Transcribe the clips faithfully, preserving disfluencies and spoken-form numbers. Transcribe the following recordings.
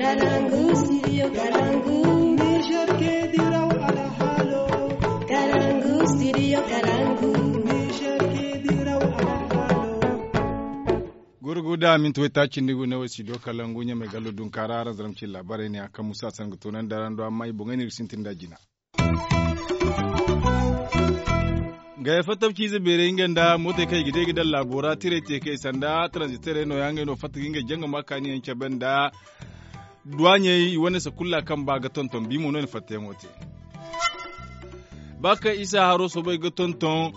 Kalangu studio kalangu. Niger ke diraw alhalo. Kalangu studio kalangu. Niger ke diraw alhalo. Gurgu da minti way taaci nda i go ne wo studio kalangu ɲamay gallo dunkaara araŋ zaramci laabaarey ne a kaŋ musa sanga toonandi araŋ do amma i boŋey no iri sintin da jina. Gaya fattabciize beerey nga nda mootey kaŋ i ga day ga daŋ laabo ra tirey te kay sanda taranziterey nooya ngey no fatta ga ngey jangama kaani yaŋ cabe nda duwaaɲey i wane sakulla kaŋ ba ga tonton bi mo no i na fattayaŋo te. Ba kaŋ isa haro soobay ga tonton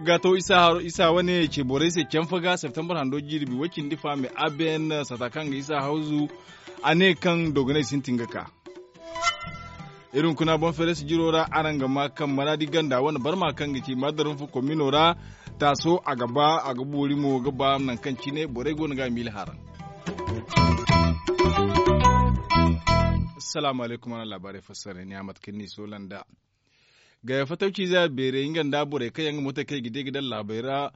ga to isa wane ce borey se canfa ga septembre hando jirbi way cindi fa me abn sata kaŋ ga isa hawzu a ne kaŋ dogonay sintin ga ka. Iri hunkuna boŋ feres jiro ra araŋ ga ma kaŋ maraadi ganda wane barma kaŋ ga ci mardarinfu komino ra taaso a ga ba a ga boori mo ga ba nangu kaŋ cine borey go no ga a miila haraŋ. Assalaamu alaykum araŋ laabaarey fassara ni a mate kaŋ ni soola nda gaya fatawciize a beerey nga nda borey kaŋ yaŋ ga mootey kaŋ i ga di ga daŋ laabey ra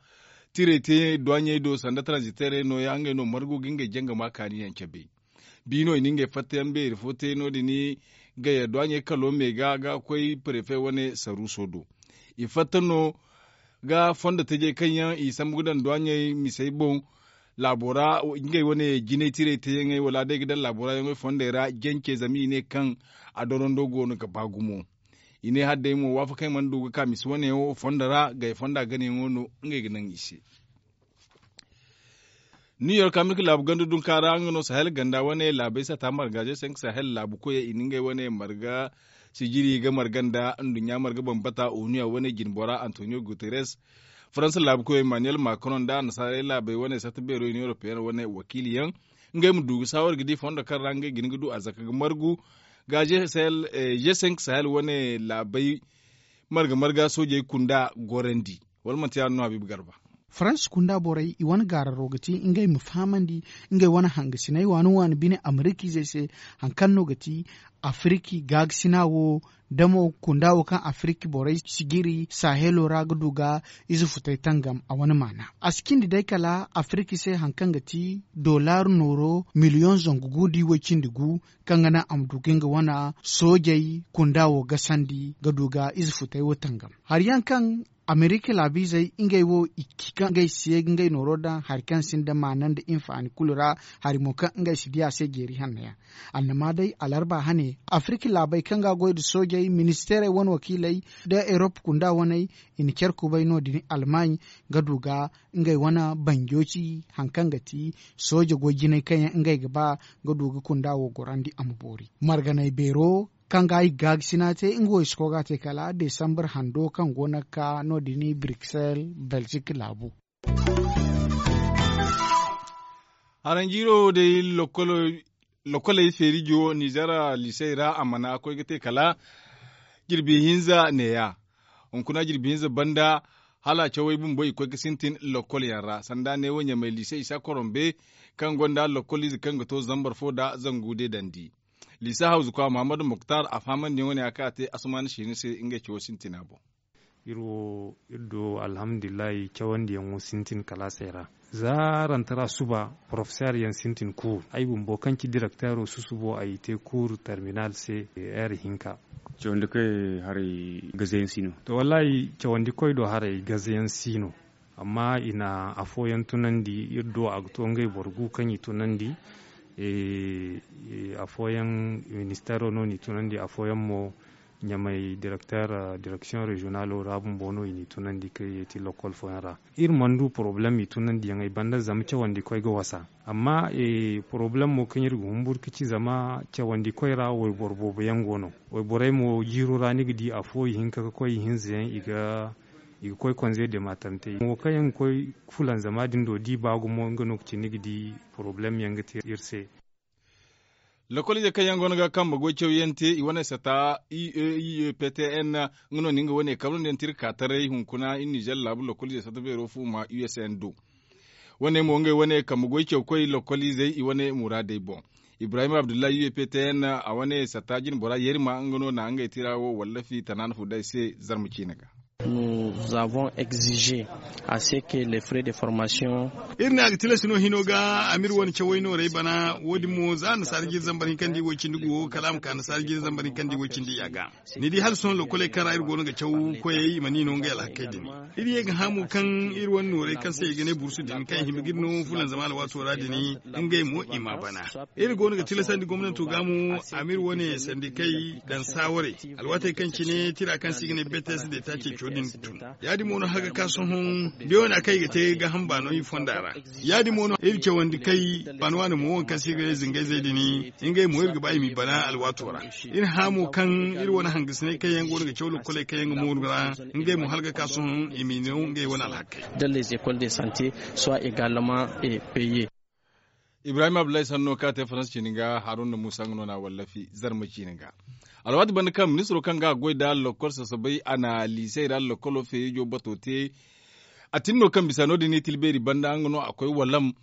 tirey te duwaaɲey do sanda taranziteerey nooya ngey no margu ga ngey jangama kaani yaŋ cabe. Bi no i na ngey fattayaŋ beeri fo te no- din gaya duwaaɲey kalo me ga ga koy perefe wane saruuso do. I fatta no ga fondo tajey kaŋ yaŋ i sambu ga daŋ duwaaɲey misey boŋ laabo ra ngey wane jinay tirey teyaŋey wala day ga daŋ laabo ra yaŋey fondey ra jance zama i ne kaŋ a dorando go no ga ba gumo. I ne hala day mo waafakey mana du ga ka misi wane yaŋo fondo ra gay fonda ganayaŋo no ngey ga naŋ i se. New york amerika laabu ganda dunka ra nga no sahel ganda wane laabey sata marga je senk sahel laabu koyey i na ngey wane marga sijiri ga marga nda nduɲɲa marga bambata oniya wane jinbora antonio guterres faransa laabu koyey emmanuel macron nda annasaarey laabey wane sata beero union europeenne wane wakiili yaŋ ngey ma du ga saawar ga di fondo kaŋ ra ngey ga hin ga du a zaka ga margu ga je senk sahel wane laabey marga marga soojey kunda gorandi. Wala manti yaadin no habiibu garba. Faransa kunda borey i wane gaararo ga ti ngey ma fahamandi ngey wane hangasiney waani waani bine amerikizey se hari kaŋ no ga ti afiriki gaakasina wo da mo kunda wo kaŋ afiriki borey sijiri sahelo ra ga du ga ize futey tangam a wane maana a si cindi day kala afiriki se hari kaŋ ga ti dollar nooro miliyoŋ zangu gu da way cindi gu kaŋ ga naŋ a ma du ga nga wane soojey kunda wo gasandi ga du ga ize futey wo tangam hari yaŋ kaŋ amerika laabiizey ngey wo i ci kaŋ ngey si ye ga ngey nooro daŋ hari kaŋ sinda maana nda hinfaani kulu ra hari mo kaŋ ngey si di a se jeeri hanno yaŋ. Annama day alarba hane afirka laabey kaŋ ga goy nda soojey ministeerey wane wakiiley nda erop kunda waney i na care kubay no- din almaaɲ ga du ga ngey wane banjo ci hari kaŋ ga ti sooje goy jinay kaŋ yaŋ ngey ga ba ga du ga kunda wo gorandi a ma boori marganay beero kaŋ ga i gaagasi no a te nga wo i si koy ga a te kala desambar hando kaŋ go no ga ka no- din bruxelles belgique laabu. Haranjiiro day lokkoley feerijo ninzeer liisey ra a mana koy ga te kala jirbi hinza neeya hunkuna jirbi hinza banda hala cawey bumbo i koy ga sintin lokkol yaŋ ra sanda neewo ɲamey liise isa korombe kaŋ gonda lokkoliize kaŋ ga to zambar fo nda zangu deedandi. Liisa hawzu kwa muhammadu muktar a fahamandi yaŋo ne a kaŋ a te asumaana siini se ngey cawo sintina boŋ. Iri wo iri do alhamdulillahi cawandiyaŋo sintin kalaasey ra. Za rantara suba porofeseer yaŋ sintin kuuru ay bumbo kaŋ ci direkteero susubo ay te kuuru terminal se. Heer hinka. Cawandi koy haray gazayaŋ si no. To wallahi cawandi koy do haray gazayaŋ si no. Amma i na afooyaŋ tunandi iri do a ga to ngey boro gu kaŋ i tunandi. Afooyaŋ ministeero no n'i tunandi afooyaŋ mo ɲamey direkteer direksiyoŋ reziyonalo ra bumbo no i n'i tunandi kaŋ i ye ti lokkol fooyaŋ ra. Iri mana du porobalem i tunandiyaŋey banda zama cawandi koy ga wasa. Amma porobalem mo kaŋ iri ga humburu ga ci zama cawandi koy ra wayboro boobo yaŋ go no. Wayborey mo jiiro ra ni ga di afo ihinka ga koy ihinza yaŋ i ga koy konze de matarantey mo kaŋ yaŋ ga koy fulanzama din do da i ba gumo nga no ga ci ni ga di porobalem yaŋ ga te iri se. Lokoliizey kaŋ yaŋ go no ga kambe goy cawyaŋ te i wane sata i e i e p t n nga no na nga wane kambe no yaŋ te iri ka taray hunkuna iri nizer laabu lokoliizey sata beero fuuma u s n do. Wane mo ngey wane kambe goy cawkoy lokoliizey i wane muraadey boŋ. Ibrahim abdullahi u e p t n a wane sata jine bora yerima nga no na ngey tira wo wallafi tanaana fu day se. Zarma ciine ga. Nous avons exigé à ce que les frais de formation. Iri ne a ga tilas no hino ga amir wane cawey noorey bana wo- din mo za annasaara jiiri zambar hinkandi woy-cindi go kala a ma ka annasaara jiiri zambar hinkandi woy-cindi ya ga. Ni di hala sohõ lokoley kaŋ ra iri go no ga caw koyey i ma ni no ngey alhakey din. Iri ye ga hã mo kaŋ iri wane noorey kaŋ se i ga ne bursu din kaŋ i hima ga iri no fulanzama alwaato ra din, ngey mo i ma bana. Iri go no ga tilasandi gomnanto ga mo amir wane sandikey daŋ saawarey alwaatey kaŋ cine tira kaŋ se i ga ne bts de ta ceeco din tun. Ya- din mo no haga ka sohõ beewana kaŋ i ga te gaaham baano i fonda ra. Ya- din mo no iri cawandi kay baano waani mo waŋ kaŋ se i ga ne zingayzey din, ngey mo iri ga ba i m'i bana alwaato ra. Iri hã mo kaŋ iri wane hangasiney kaŋ yaŋ go no ga caw lokoley kaŋ yaŋ ga mooru ra, ngey mo hala ga ka sohõ i m'i no ngey wane alhakey. Dans les écoles de santé soit également payé. Ibrahim abdullahi sanno kaŋ a te faransa ciini ga haruna musa nga no na a wallafi zarma ciini ga. Alwaati banda kaŋ ministiro kaŋ ga a goy nda lokol sasabay a na liisey ra lokolo feejo bato te. A tin no kaŋ bisa no- din i tila beeri banda nga no a koy walam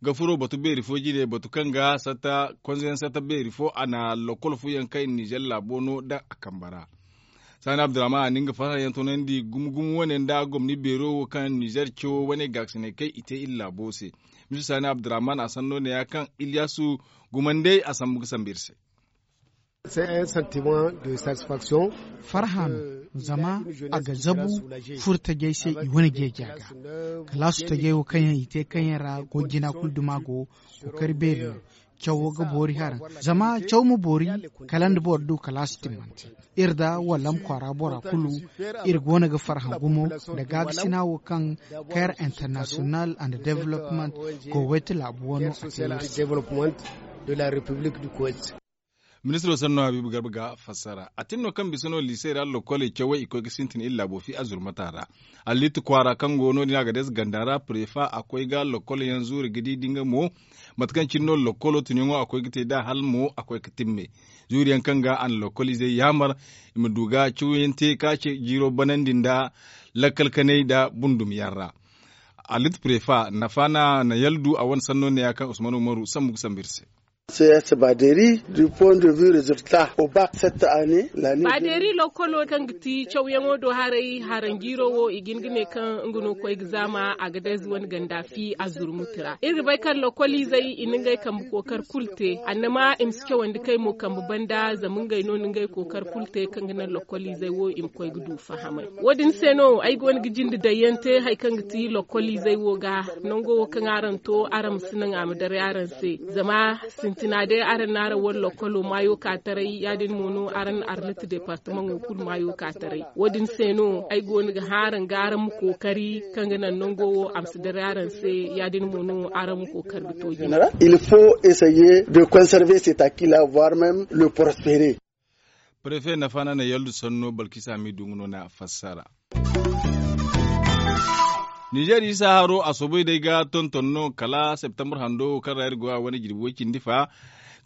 ga furo batu beeri fo jine batu kaŋ ga satta konzayaŋ satta beeri fo a na lokol fooyaŋ kaŋ i na nizer laabo no daŋ a kambe ra. Saani abdurrahman a na nga farhã yaŋ toonandi gumo gumo wane nda gomni beero wo kaŋ nizer cawo wane gaakasiney kaŋ i te iri laabo se. Misi saani abdurrahman a sanno ne ya kaŋ iliyasu gumandey a sambu ga sambu iri se. Farhã no zama a ga zabu furo tajey se i wane jeeja ga. Kalaasu tajey wo kaŋ yaŋ i te kaŋ yaŋ ra goy jina kulu duma go kookari beeri no. Cawo ga boori haraŋ zama caw ma boori kala nda boro du kalaasu timmante. Iri da wallam kwaara bora kulu iri go no ga farhã gumo nda gaabisina wo kaŋ care international and development go wayte laabu wano a te iri se. Ministiro sanno habiibu garba ga fassara a tin no kaŋ bisa no liisey ra lokoley cawey i koy ga sintin iri laabo fi a zurmata ra. Alliiti kwaara kaŋ go no- din a ga deesa ganda ra prefa a koy ga lokol yaŋ zuuri ga di da nga mo mate kaŋ cine no lokolo tunyaŋo a koy ga te nd'a hala mo a koy ga timme. Zuuriyaŋ kaŋ ga a na lokoliizey yaamar i ma du ga cawyaŋ te ka ce jiiro banandi nda lakkal kanay nda bundum yaŋ ra. Alliiti prefa nafaana na yaldu a wane sanno ne ya kaŋ usman umaru sambu ga sambu iri se. Baaderi lokolo kaŋ ga ti cawyaŋo do haray haranjiiro wo i ga hin ga ne kaŋ nga no koy ga zaama a ga day zuwan ganda fi a zurmuti ra iri ga bay kaŋ lokoliizey i na ngey kambe kookari kulu te annama i ma si cawandi kay mo kambe banda zama ngey no na ngey kookari kulu te kaŋ ga naŋ lokoliizey wo i ma koy ga du fahamay. Wo- din se no ay go no ga jinde daŋ yaŋ te hari kaŋ ga ti lokoliizey wo ga nango wo kaŋ araŋ to araŋ ma si naŋ a ma daray araŋ se. Zama sintina day araŋ na araŋ wane lokolo maayo ka taray ya- din mo no araŋ na arlit departamaŋo kulu maayo ka taray. Wo- din se no ay go no ga hã araŋ ga araŋ ma kookari kaŋ ga naŋ nango wo a ma si daray araŋ se. Ya- din mo no araŋ ma kookari ga to jina. Il faut essayer de conserver cet acquis là voire même le prospérer. Prefe nafaana na yaldu sanno balkisa ma i du nga no na fassara. Nizer isa haro a soobay day ga tonton no kala septembre hando kaŋ ra iri go a wane jirbi way cindi fa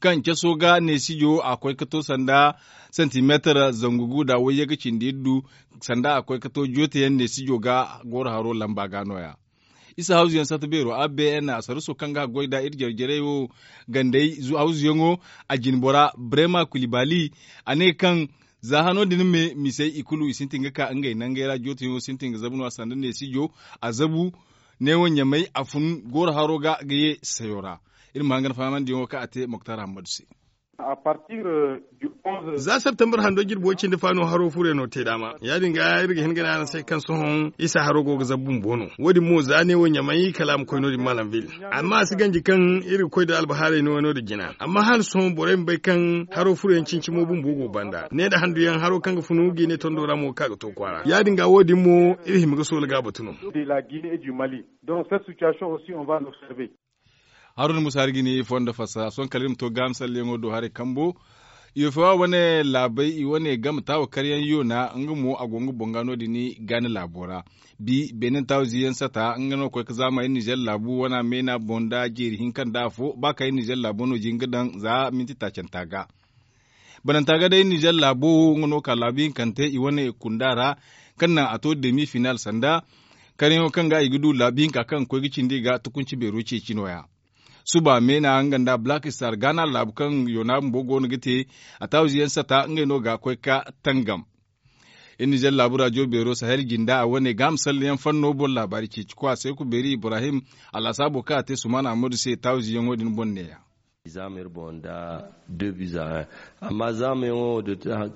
kaŋ caso ga neesijo a koy ga to sanda santimeetar zangu gu da wayye ga cindi iri du sanda a koy ga to joote yaŋ neesijo ga gooro haro lamba ga no- ya. Isa hawzuyaŋ sata beero a b n a saruso kaŋ ga a goy nd'a iri jare jarey wo gandey hawzuyaŋo a jine bora brema kulibali. A ne kaŋ za hano din me misey i kulu i sintin ga ka ngey nangey ra jootiyaŋo sintin ga zabu no- ya sanda neesijo a zabu neewo ɲamey a fun gooro haro ga ga ye sayo ra. Iri ma hangan fahamandiyaŋo kaŋ a te moktar hammadu se. Za septembre hando jirbo cindi fa no haro furyaŋo te daama ya- din ga iri ga hin ga ne araŋ se kaŋ sohõ isa haro go ga zabu bumbo no wo- din mo za ne wo ɲamay kala a ma koy no- din malam vil. Amma a si ganji kaŋ iri ga koy da albahaarey no- din jina amma hala sohõ borey ma bay kaŋ haro furyaŋ cincimo bumbo go banda ne nda handuyaŋ haro kaŋ ga funu ga i ne tondo ra mo ga ka ga to kwaara ya- din ga wo- din mo iri hima ga soola ga a batu no. Haruna musa hari ga ni fondo fassara sohõ kala iri ma to gaami salleyaŋo do haray kambo. Yofewa wane laabey i wane game taawa karyaŋ yoona nga mo a go nga boŋ ga no- din gaani laabo ra. Bi beene taawa ziyaŋ sata nga no koy ga zaama iri nizer laabu wane meena boŋ nda jeeri hinka nda afo ba ka iri nizer laabo no jin ga daŋ za minti taacanta ga. Bananta ga day nizer laabo wo nga no ka laabu hinkante i wane kunda ra kaŋ naŋ a to demi final sanda karyaŋo kaŋ ga i ga du laabu hinka kaŋ ga koy ga cindi ga tukunci beero ceeci no- ya. Suba meena nga nda black star gaana laabu kaŋ yoona bumbo go no ga te a taawa ziyaŋ sata ngey no ga koy ga tangam. Iri nizer laabu rajo beero sahel jinda a wane ga a ma salleyaŋ fanno boŋ laabaari ceeci ko a se ku beeri ibrahim, alhasaabo kaŋ a te sumaana ammadu se taawiziyaŋo din boŋ neeya. Zaama iri boŋ nda deux buts à un. Amma zaamayaŋo wo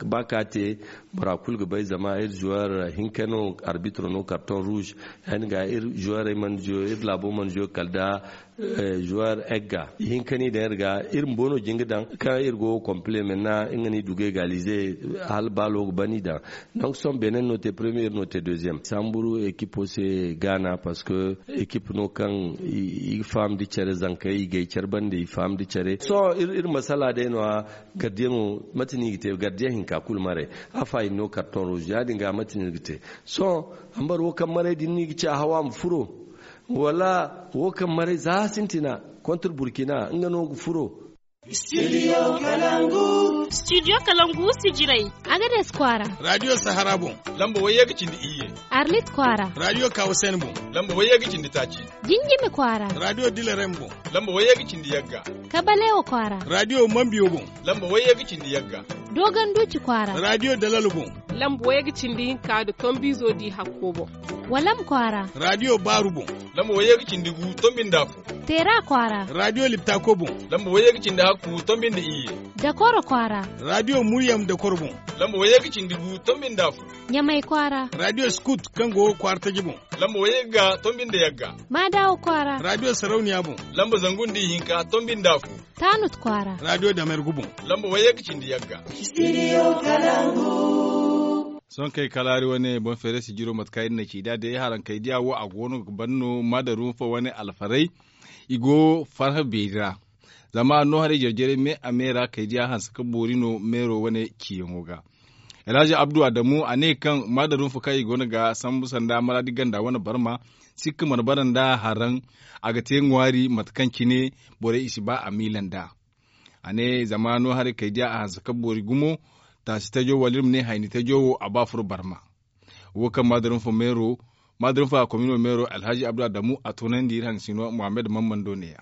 ba ka te, bora kulu ga bay zama iri zuwar hinka no arbitro no karton rouge. Yaadin ga iri zuwarey mana zuyo iri laabo mana zuyo kala nda zuwar egga ihinka no i daŋ iri ga. Iri bumbo no jin ga daŋ kaŋ iri go kompile mena nga no i du ga egalize hala baalo ga ban i daŋ. Donc sohõ benin no te premiye iri no te deuxième samburu ekipo se gaana parce que ekip no kaŋ i ga faham da care zankey i gay care bande i faham da care sohõ iri masala day no- ya. Gardiyaŋo mate no i ga te gardiyaŋ hinka kulu maray. Afa i no karton rouge ya- din ga mate no iri ga te. Sohõ hambar wo kaŋ maray din no i ga ci a haw a ma furo wala wo kaŋ maray za sintina kontra burkina nga no ga furo. Studio kalangu sijirey. Agades kwaara. Radio sahara boŋ lamba wayye ga cindi iyye. Arlit kwaara. Radio kawasen boŋ lamba wayye ga cindi taaci. Jinjimi kwaara. Radio dilarem boŋ lamba wayye ga cindi yagga. Kabalewa kwaara. Radio mambiyo boŋ lamba wayye ga cindi yagga. Dogon duci kwaara. Radio dalalo boŋ lamba wayye ga cindi hinka nda tombizo di hakko boŋ. Walam kwaara. Radio baaru boŋ lamba wayye ga cindi gu tombi nda afo. Teera kwaara. Radio liptako boŋ lamba wayye ga cindi hakku tombi nda iyye. Dakoro kwaara. Radio muryam dakoro boŋ lamba wayye ga cindi gu tombi nda afo. Ɲamay kwaara. Radio skut kaŋ go kwaara taji boŋ lamba wayye ga tombi nda yagga. Maadawa kwaara. Radio sarauniya boŋ lamba zangu nda ihinka tombi nda afo. Taanut kwaara. Radio damergu boŋ lamba wayye ga cindi yagga. Sohõ kaŋ ay kalaari wane boŋ feere sijiro mate kaŋ iri na ci nd'a day haraŋ kay diya wo a go no ga ban no maadaruufa wane alfaray. I go farhã beeri ra zama a no haray jare-jarey me a me ra kay diya hanse ka boori no meero wane ciyaŋo ga. Alhazi abdu adamu a ne kaŋ maadaruufa kaŋ i go no ga sambu sanda maraadi ganda wane barma sikka mana bara nd'a haraŋ. A ga te ŋwaari mate kaŋ cine borey i si ba a miila nd'a. A ne zama no haray kay diya a hanse ka boori gumo. Taasi tajo wala iri ma ne hayni tajo wo a ba furo barma. Wo kaŋ maadaruufa meero maadaruufa komino meero alhazi abdu adamu a toonandi iri haŋ sino mohammed mammando neeya.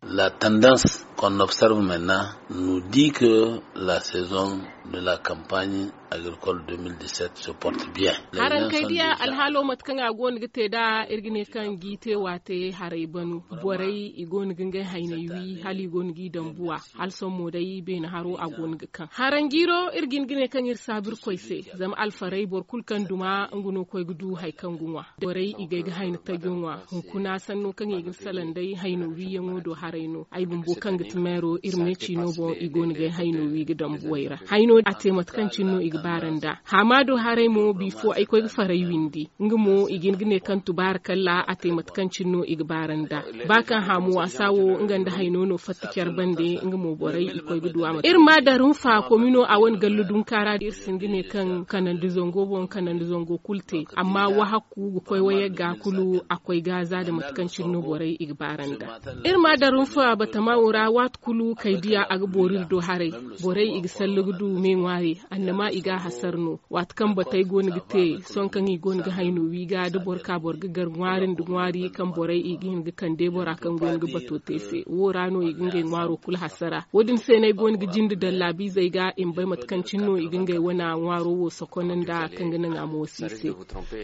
La tendance qu'on observe maintenant nous dit que la saison de la campagne agricole deux mille dix-sept se porte bien. Haraŋ kay diya alhaalo mate kaŋ a go no ga te nd'a iri ga ne kaŋ g'i te waate haray banu. Borey i go no ga ngey hayney wi hala i go no g'i dambuwa. Hala sohõ mo day beene haro a go no ga kaŋ haraŋ jiiro iri ga hin ga ne kaŋ iri saabu irkoy se. Zama alfarey boro kulu kaŋ duma nga no koy ga du hari kaŋ ga ŋwa. Borey i gay ga hayna tajo ŋwa. Hunkuna sanno kaŋ i ga ni salaŋ day hayno wiiyaŋo do haray no ay bumbo kaŋ ga ti meero iri meeci no boŋ i go no gay hayno wi ga dambuwey ra. Hayno a te mate kaŋ cine no i ga baara nd'a. Haamaado haray mo bifo ay koy ga faray windi nga mo i ga hin ga ne kaŋ tubaara kalla a te mate kaŋ cine no i ga baara nd'a. Ba kaŋ haamu waasa wo nga nda hayno no fatta care bande nga mo borey i koy ga du a mate iri ma darum fa komino a wane gallu dunka ra da iri sinda ne kaŋ kanandi zango boŋ kanandi zango kulu te. Amma wahakku ga koy wayagga kulu a koy ga za da mate kaŋ cine no borey i ga baara nd'a. Iri ma darum fa batama wo ra waati kulu kay diya a ga boori iri do haray. Borey i ga sallu ga du me ŋwaari annama i ga a hasar no. Waati kaŋ batey go no ga te sohõ kaŋ i go no ga hayno wi ga da boro ka boro ga gar ŋwaari nda ŋwaari kaŋ borey i ga hin ga kande bora kaŋ go no ga bato te se wo ra no i ga ngey ŋwaaro kulu hasara wo- din se no ay go no ga jinde daŋ laabiizey ga i ma bay mate kaŋ cine no i ga ngey wane ŋwaaro wo sokon nda kaŋ ga naŋ a moosi i se.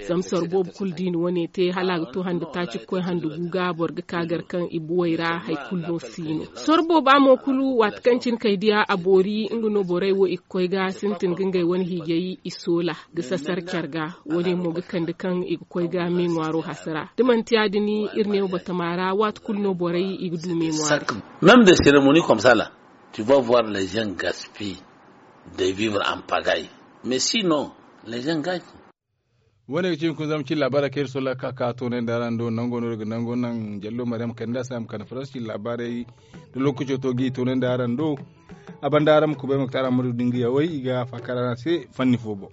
Zama soro boobo kulu da i na wane te hala a ga to hande taaci ga koy hande gu ga boro ga ka gar kaŋ i buwey ra hari kulu no si no. Soro booba mo kulu waati kaŋ cine kay diya a boori nga no borey wo i ga koy ga sintin ga ngey wane hiijay i soola ga sasar care ga. Wo- din mo ga kande kaŋ i ga koy ga me ŋwaaro hasara da manti ya- din iri ne wo batama ra waati kulu no borey i ga du me ŋwaari. Même des cérémonies comme ça là tu vas voir les gens gaspillent de vivre en pagaille. Mais si non les gens gagnent. Wo- ne ga ci hunkuna zama cin laabaarey kaŋ iri solla ga ka ka toonandi araŋ do nango no iri ga nango naŋ jallo maryam kande a se a ma kande faransi cin laabaarey da lookaco to ga i toonandi araŋ do. A banda araŋ ma kubay ma ga taara ma du da nga yawey i ga faakar araŋ se fanni fo boŋ.